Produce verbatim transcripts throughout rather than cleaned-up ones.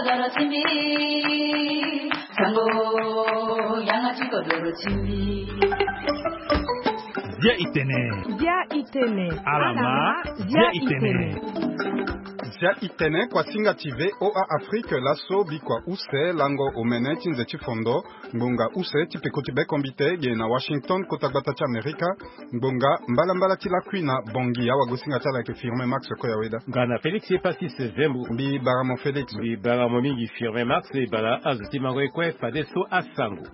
Zia itene. Zia itene. Alama, zia itene. Zia itene, kuasinga ti V O A Afrique, laso bikua use lango omene ti nze ti fondo, ngbonga use ti peko ti bekombite, ge na Washington, kota gbata ti Amerika, ngbonga mbalambala ti lakui na Bangui, awagosinga ti ala ayeke Firmin Max Koyaweda. Nga na Félix Epasis Zembo. Mbi bara mo Félix. Mbi bara mo mingi Firmin Max, e bara azo ti mango e kue fadeso asango.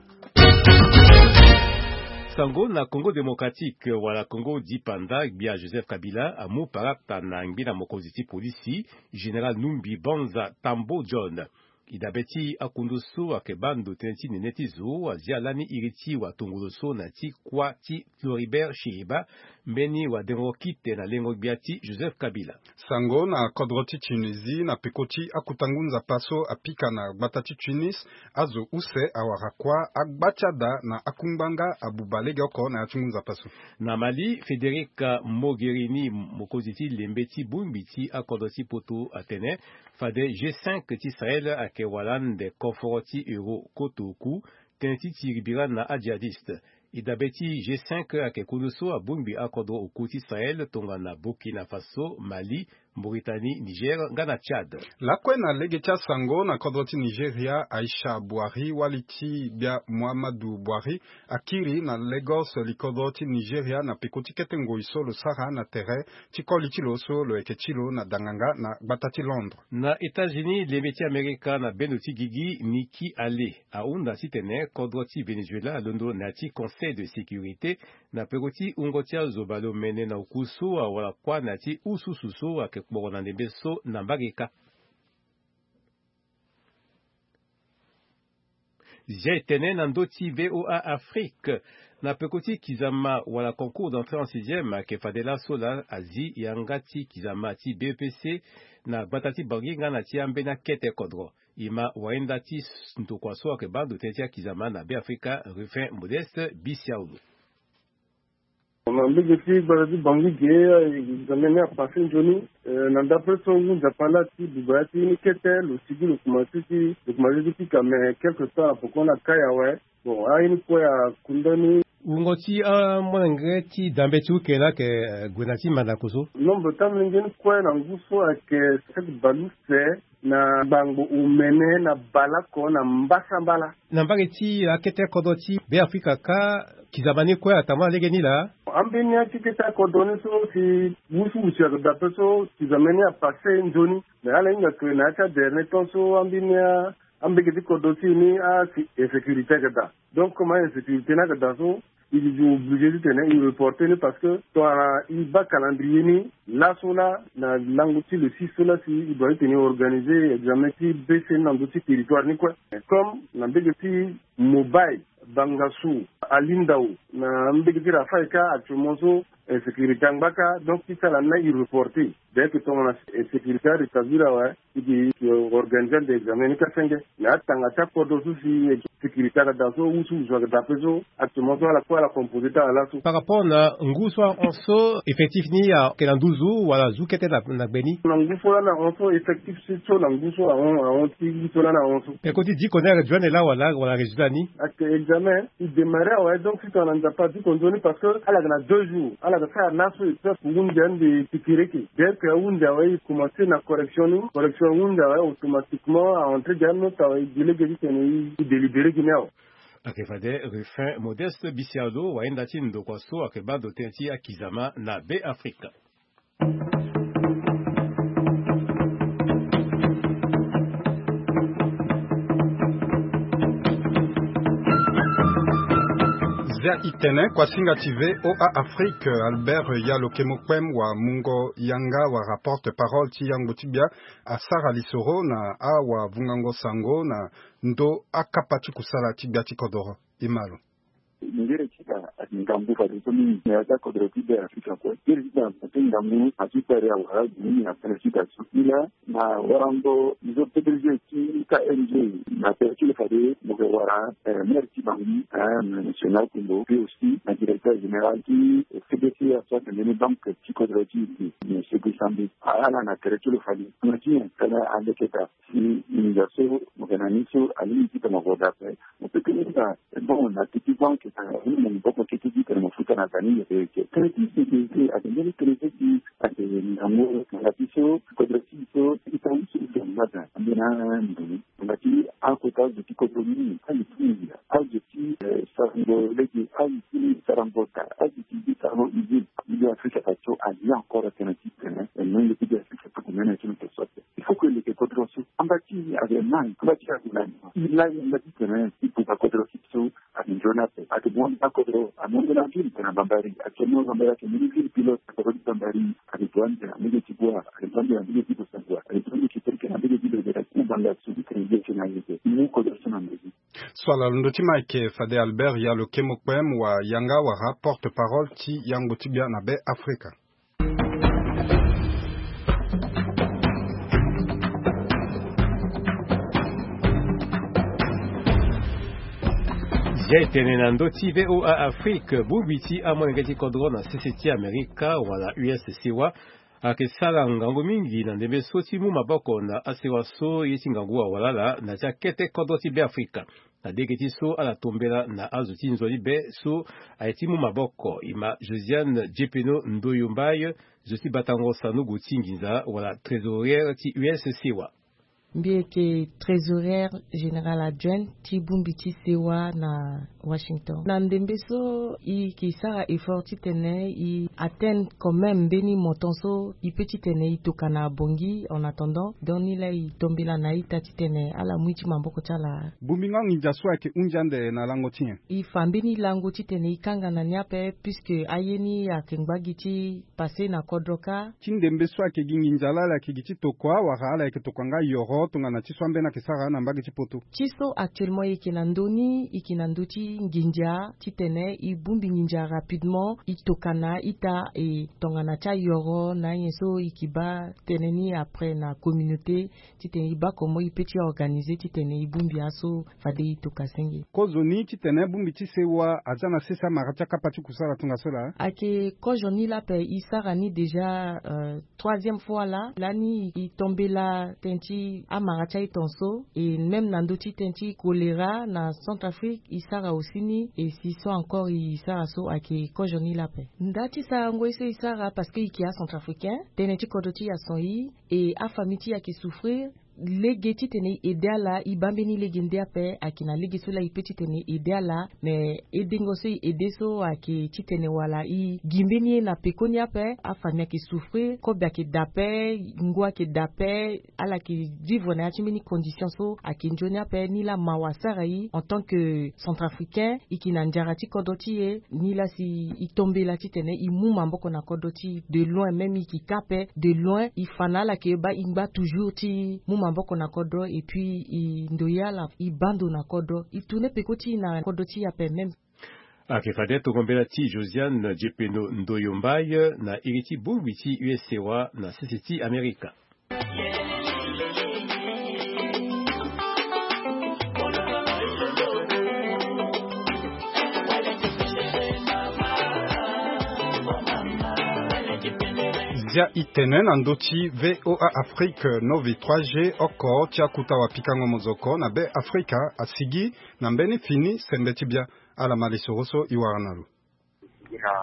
Sango na Congo Démocratique, wala Congo dipanda, gbia Joseph Kabila amu parata na ngbina mokonzi ti polisi, Général Numbi Banza Tambo John. E dabe ti akundu so ayeke baa ndo tënë ti nene ti zo, azia lani iri ti watongolo so na ti kuâ ti Floribert Cheeba, mbeni wadengo kite na lengo gbia ti Joseph Kabila. Sango na kodro ti Tunisie, na peko ti akota ngu nzapa so apika na gbata ti Tunis, azo use awara kuâ, agba ti ada na akungbanga abuba legeoko na ya ti ngu nzapa so. Na Mali, Federica Mogherini, mokonzi ti lembe ti bongbi ti akodro ti poto, atene fade G cinq ti Sahel ayeke wala ande koforo ti euro koto oku, tënë ti tiri bira na ajihadiste. E dabe ti G cinq ayeke kundu so abongbi akodro oku ti Sahel tongana Burkina Faso, Mali, Mauritanie, Niger nga na Tchad. Lakue na lege ti asango, na kodro ti Nigeria, Aisha Buhari, wali ti gbia Muhammadu Buhari, akiri na Lagos, likodro ti Nigeria, na peko ti kete ngoi so lo sara na tere ti koli ti lo so lo yeke ti lo na danganga na gbata ti Londres. Na États-Unis, lembe ti Amerika na bendo ti gigi Nikki Haley ahunda titene kodro ti Venezuela alondo na ya ti Conseil de sécurité, na peko ti wungo ti azo baleomene na oku so awara kuâ na ya ti ususu so ayeke kporo na ndembe so na mbage kâ. Zia e tene na ndö ti V O A Afrique, na peko ti kizama wala concours d'entrée en sixième ayeke fade laso laa azi yanga ti kizama ti B E P C na gbata ti Bangui nga na ti ambeni akete kodro. E ma wahinda ti ndokua so ayeke baa ndo tënë ti akizama na Beafrika, Rufin Modeste Bisiaulu. Na mbege ti gbata ti Bangui ge, examen ni apassé nzoni. Eh, na ndapre so ngu nzapa laa ti buba ya ti ni kete, lo sigi lo komanse ti, lo komanse ti pika, mais quelque temps apoko na kai awe. Bon, aye ni kue akunda ni. Wungo ti amolenge ti dambe ti uke laa ayeke, eh, gue na ti mandako so. Nombre ti amolenge ni kue na ngu so ayeke sept bale use na ngbangbo omene na bale oko na mbasambala. Na mbage ti akete kodro ti Beafrika kâ, kizama ni kue atambula lege ni laa. Ambeni ya ti kete kodro ni so si wusuwusu ayeke daa ape so kizama ni apassé nzoni. Mais ala hinga ke na ya ti adernier temps so ambeni ya ambege ti kodro ti e ni asi insécurité ayeke daa. Donc comme ainsécurité ni ayeke daa so, il est obligé titene il reporte ni parce que tongana il baa calendrier ni, laso laa na lango ti le six so laa si il doit titene organiser examen ti B C ni na ndö ti territoire ni kue. Comme na mbege ti Mobay, Bangassou, Alindao, na mbege ti Rafai kâ actuellement so insécurité angba kâ, donc ti sala ni laa il reporte. Dès que tongana insécurité arétablir awe, il organise ande examen ni kâ senge. Mais atanga ti akodro so si sécurité ayeke daa so, wusuwusu ayeke daa ape so, actuellement so ala kue ala composé ti ala laso. Par rapport na ngu so ahon so, effectif ni ayeke na nduzu wala azu kete na, na gbe ni? Na ngu so laa na hon so, effectif so na ngu so ahon, ahon ti ngu so laa na hon so. Peko ti diko ni ayeke dio ande laa wala, wala résultat ni? Ayeke examen, il démarre awe, donc si tongana Nzapa adiko nzoni parce que ala yeke na deux jours, ala yeke sara laso épreuve hunde ande tikireke. Dès que ahunde awe, il commence na correction ni, correction hunde awe, automatiquement a entré dia note awe, i gi lege titene i délibéré gi ni awe. Ayeke fade Rufin Modeste Bisialu, wahinda ti ndokua so ayeke baa ndo tënë ti akizama na Beafrika. Zia itene, kuasinga ti V O A Afrique, Albert Yalo Kemokpem, wa mungo yanga, wa porte-parole ti yangbo ti gbia, asara lisoro na awavungango sango na ndö akapa ti kusala ti gbia ti kodoro. E ma lo. Ngere ti da ati ngambu fadeso mingi na ya ti akodro ti Beafrika kue. Ngere ti da ati ngambu ati kpari awara mingi na pele ti da so. Ila na warango zo P D G ti K N G na tere ti lo fade mo yeke wara maire ti Bangui, monsieur Nao Kumbo, puis aussi na directeur général ti C B C A so ayeke mbeni banque ti kodro ti e, monsieur Guy Sambi. Ala na tere ti lo fade tongana ti nyen tongana aleke daa si nginza so mo yeke na ni so alingbi ti tongana mo daa ape. Mo peut ti hinga bon na titi banque tongana mo maboko kete ti tene mo futa na daa ni yeke yeke. Tënë ti sécurité ayeke mbeni tënë ti ayeke ngangu na ti so kodro ti e so ita ni so ita ni laa daa ambeni andoni. Tongana ti akota azo ti kodro ni azo ti nginza azo ti sarango lege azo ti sarango daa azo ti sarango usine. Milieu Afrika azo so alia encore atene ti tene e nongo ti Afrika tokua mene ti lo so ape. Il faut que leke kodro so amba ti e ayeke nani amba ti e ayeke nani. E laa e amba ti tene e buka kodro so ayeke nzoni ape. Ayeke buka kodro amongo na ville tene na Bambari. Actuellement Bambari ayeke mbeni ville pilote na kodro ti Bambari. Ayeke buka ande na mbege ti Bua, ayeke buka ande na mbege ti Bossangoa, ayeke buka ande ti Tereke na mbege ti Bebera ti Banga so ti tene ye ti na ye ti mu kodro so na mbege. So ala londo ti ma ayeke fade Albert Yalo Kemokpem wa yanga wala porte parole ti yango ti bia na Be Afrika. Zia e tene na ndö ti V O A Afrique, bongbi ti amolenge ti kodro na sese ti Amerika wala U S sewa ayeke sara ngangu mingi na ndembe so ti mu maboko na asewa so ye ti ngangu awalala na ti akete kodro ti Be Afrika. Na lege ti so ala tombela na azo ti nzoni be so aye ti mu maboko, e ma Josiane Djepeno Ndoyo Mbaye, zo ti batango sanogo ti nginza wala trésorière ti U S sewa. Mbi yeke trésorière générale adjointe ti bongbi ti sewa na Washington. Na ndembe so e yeke sara effort titene e atteindre quand même mbeni montant so e peut titene e tokua na Bangui en attendant. Donc ni laa e tombela na a-ita titene ala mu ye ti maboko ti ala. Bongbi nga nginza so ayeke hunzi ande na lango ti nyen? E fa mbeni lango titene e kanga na ni ape, puisque aye ni ayeke ngba gi ti passé na kodro kâ. Ti ndembe so ayeke gi nginza laa ala yeke gi ti tokua wala ala yeke tokua nga yoro tongana ti so ambeni ayeke sara na mbage ti poto? Ti so actuellement e yeke na ndö ni, e yeke na ndö ti nginza titene e bongbi nginza rapidement, e tokua na a-ita, e tongana ti ayoro na anyen so e yeke baa tënë ni après na communauté, titene e baa comment e peut ti organiser titene e bongbi aso fade e tokua senge. Kozoni titene bongbi ti sewa aza na sese amara ti akapa ti kusala tongaso laa? Ayeke kozo ni laa ape, e sara ni déjà, euh, troisième fois laa. Lani e tombela tënë ti amara ti aye tongaso, et même na ndö ti tënë ti choléra na Centrafrique e sara aussi ni, et si so encore e sara so, ayeke kozo ni laa ape. Nda ti sarango ye so e sara parce que e yeke acentrafricain, tënë ti kodro ti e ason e, e afamille ti e ayeke souffrir. Lege titene e aidé ala, e baa mbeni lege nde ape, ayeke na lege so laa e peut titene e aidé ala. Mais aidengo so e aidé so ayeke titene wala e gi mbeni ye na pekoni ape. Afamille ayeke souffrir, kobe ayeke daa ape, ngu ayeke daa ape, ala yeke vivre na ya ti mbeni condition so ayeke nzoni ape. Ni laa mawa asara e en tant que centrafricain, e yeke na nzara ti kodro ti e. Ni laa si e tombela titene e mu maboko na kodro ti e de loin, même e yeke kâ ape de loin, e fa na ala ke baa e ngba toujours ti mu maboko na kodro, et puis e ndoye ala e baa ndo na kodro, e tourner peko ti e na kodro ti e ape même. Ayeke fade tongo mbela ti Josiane Djepeno Ndoyo Mbaye na iri ti bongbi ti U S sewa na sese ti Amerika. Zia e tene na ndö ti V O A Afrique, Novi trois G oko ti akuta wapikango mozoko na Be Afrika asigi na mbeni fini sembe ti bia. Ala ma lisoro so e wara na lo. Gi na,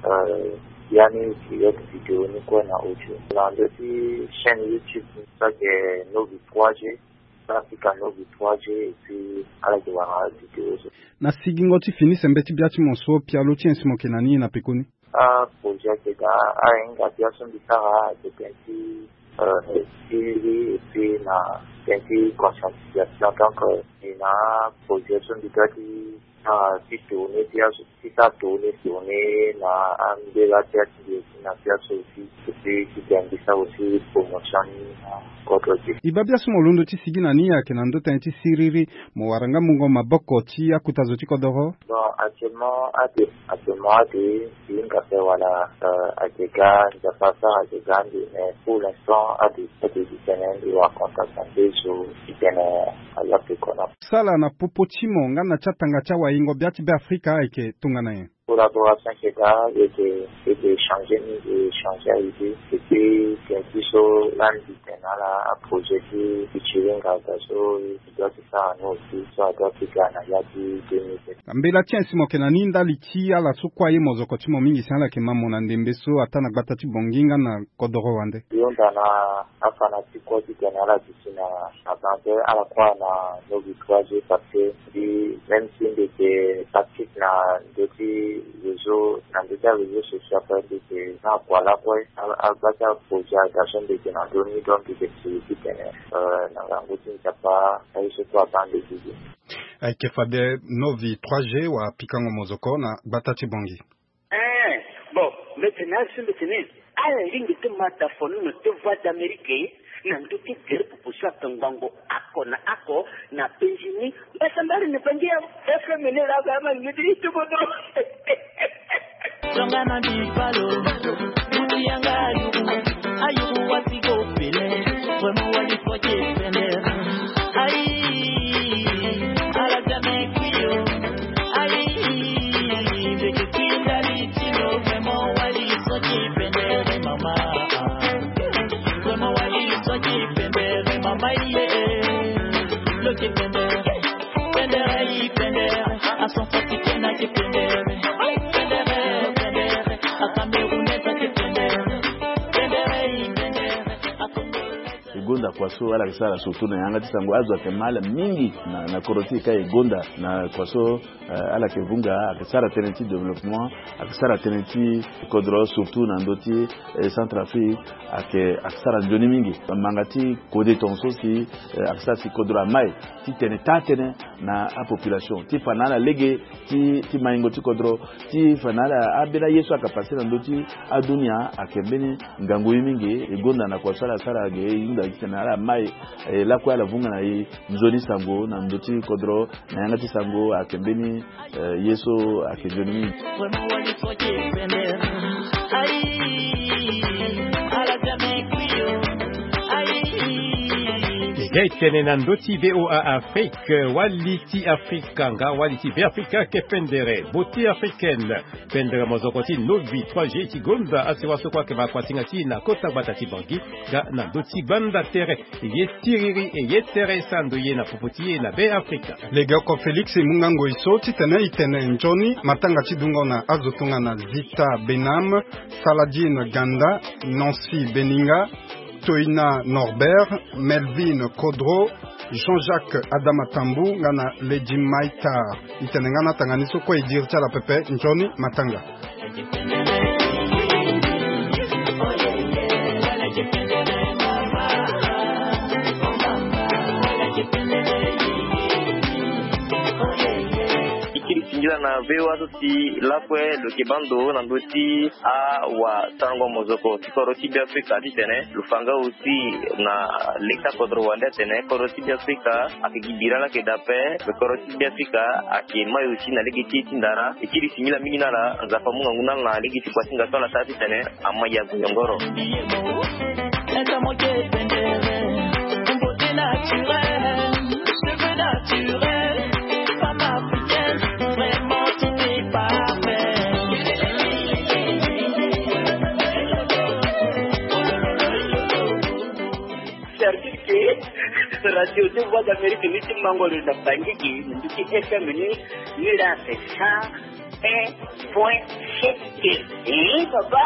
euh, ya ni direct vidéo ni kue na audio na ndö ti chaîne YouTube so ayeke Novi trois G, so ayeke Novi trois G, et puis ala yeke wara vidéo so. Na sigingo ti fini sembe ti bia ti mo so, pialo ti nyen si mo yeke na ni na pekoni? Aprojet ayeke daa, ahinga bia so mbi sara ayeke tënë ti, euh, ti li, et puis na tënë ti conscientisation. Donc, euh, e na aprojet so mbi doit ti sara ti tourner ti azo ti sara tourner tourner na ambela ti ati. na biaso aussi. Epui ti ga mbisa aussi promotion ni na kodro ti. E baa biaso mo londo ti sigi na ni ayeke na ndö tënë ti siriri, mo wara nga mungo maboko ti akuta zo ti kodoro? Bon, actuellement ade, actuellement ade, e hinga ape wala, euh, ayeke ga Nzapa asara ayeke ga ande, mais pour l'instant ade, ade gi tënë mbi wara contact na nde zo ti tene ala pe kona. Sala na popo ti mo nga na ti atanga ti awayingo bia ti Beafrika ayeke tongana nyen? Collaboration ayeke daa, e yeke, e yeke échanger ni, e échanger aidée. Epui tene ti so lani mbi tene na ala aprojet ti, ti ti hinga aga so e doit ti sara ni aussi, so a doit ti ga na ya ti deux mille vingt. Mbela ti nyen si mo yeke na ni ndali ti ala so kue aye mozoko ti mo mingi si ala yeke ma mo na ndembe so ataa na gbata ti Bangui nga na kodoro wande? Mbi hunda na afanatique kue ti tene ala duti na, na banque, ala croire na Novi trois G parce que mbi, même si mbi yeke actif na ndö ti réseau, na ndö ti aréseau social, mbi yeke na kua lakue, a, a, agbata projet aga so mbi yeke na ndö ni, donc mbi yeke siri ti tene, euh, na ngangu ti Nzapa aye so kue abaa mbi gigi. Ayeke fade Novi trois G wa pikango mozoko na gbata ti Bangui. Eh, bon, mbi tene na ala so mbi tene, ala lingbi ti ma da fo ni na ti Voix d'Amérique na ndö ti gere popo so ayeke ngbangbo oko na oko na penzi ni. Mbasambala ni Bangui ya F M ni laa, ama ni ti ti kodro. Tongana bipalo, mutu yanga ayuru, ayuru wasi go pele, vraiment wali foke pele. Aïe, ala zame kuyo. Aïe, beke kuyo ndali tino, vraiment wali soki pendere mama. Vraiment wali soki pendere mama, yeah. Loki pendere, pendere, pendere. A son fati kena ki pendere. Pendere, pendere. A Camerounais ki pendere. Pendere, pendere. A Congo. E gonda kua so ala yeke sara surtout na yanga ti sango, azo ayeke ma ala mingi na, na kodro ti e ka e gonda na kua so, eh, ala yeke vunga, ayeke sara tënë ti développement, ayeke sara tënë ti kodro surtout na ndö ti, eh, Centrafrique, ayeke, ayeke sara nzoni mingi. Manga ti kode tongaso si, eh, ayeke sara si kodro amai ti tene taa tënë na apopulation ti fa na ala lege ti, ti maingo ti kodro, ti fa na ala, ambeni aye so ayeke passe na ndö ti adunia ayeke mbeni ngangu ye mingi. E gonda na kua so ala sara ge, e hunda ti tene ala mai, e lakue ala vunga na e nzoni sango na ndö ti kodro, na yanga ti sango ayeke mbeni, eh, ye so ayeke nzoni mingi. E ga e tene na ndö ti V O A Afrique, wali ti Afrika nga wali ti Beafrika ayeke pendere, Beauté africaine. Pendere mozoko ti Novi trois G ti gonda asiwa so kue ayeke ma kuasinga ti e na kota gbata ti Bangui nga na ndö ti gbanda tere. E ye siriri, e ye tere e sara ndo ye na popo ti e na Beafrika. Legeoko Félix e mu nga ngoi so titene e tene nzoni matanga ti dungo na azo tongana Zita Benam, Saladine Ganda, Nancy Beninga, Toina Norbert, Melvin Kodro, Jean-Jacques Adama Tambou nga na Lady Maita. E tene nga na tanga ni so kue e diri ti ala pepe, nzoni matanga. E kiri singila na V O A so si lakue lo yeke baa ndo na ndö ti awasarango mozoko ti kodro ti Beafrika titene lo fa nga aussi na leta kodro wande atene kodro ti Beafrika ayeke gi bira laa ayeke daa ape, me kodro ti Beafrika ayeke mai aussi na lege ti e ti ndara. E kiri singila mingi na ala, Nzapa amu ngangu na ala na lege ti kuasinga so ala sara titene amai ya goyongoro. Service ke radio ti Voix d'Amérique ni ti mango lo na Bangui gi, na ndö ti F M ni, ni laa c'est cent un point sept. Eh, papa.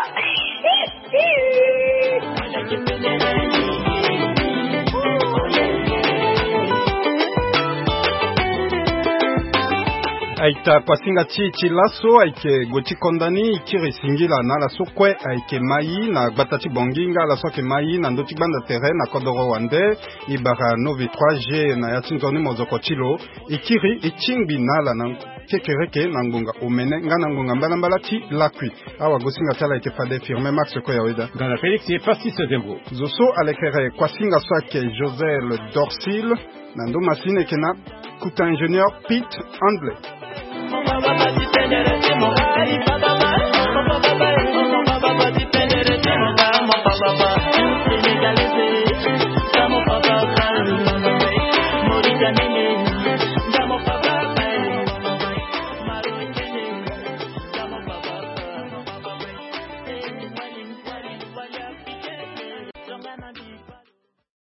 Aita kuasinga ti ti laso ayeke gue ti konda ni, e kiri singila na ala so kue ayeke mai na gbata ti Bongi nga ala so ayeke mai na ndö ti gbanda tere na kodoro wande. E bara Novi trois G na ya ti nzoni mozoko ti lo. E kiri e tingbi na ala na kekereke na ngbonga omene nga na ngbonga mbalambala ti lakui. Awagosinga ti ala ayeke fade Firmin Max Koyaweda. Gana Félix e Pastis Zembo. Zo so alekere kuasinga so ayeke Josel Dorsil. Na ndo masini ayeke na kuta ingénieur Pete Handley.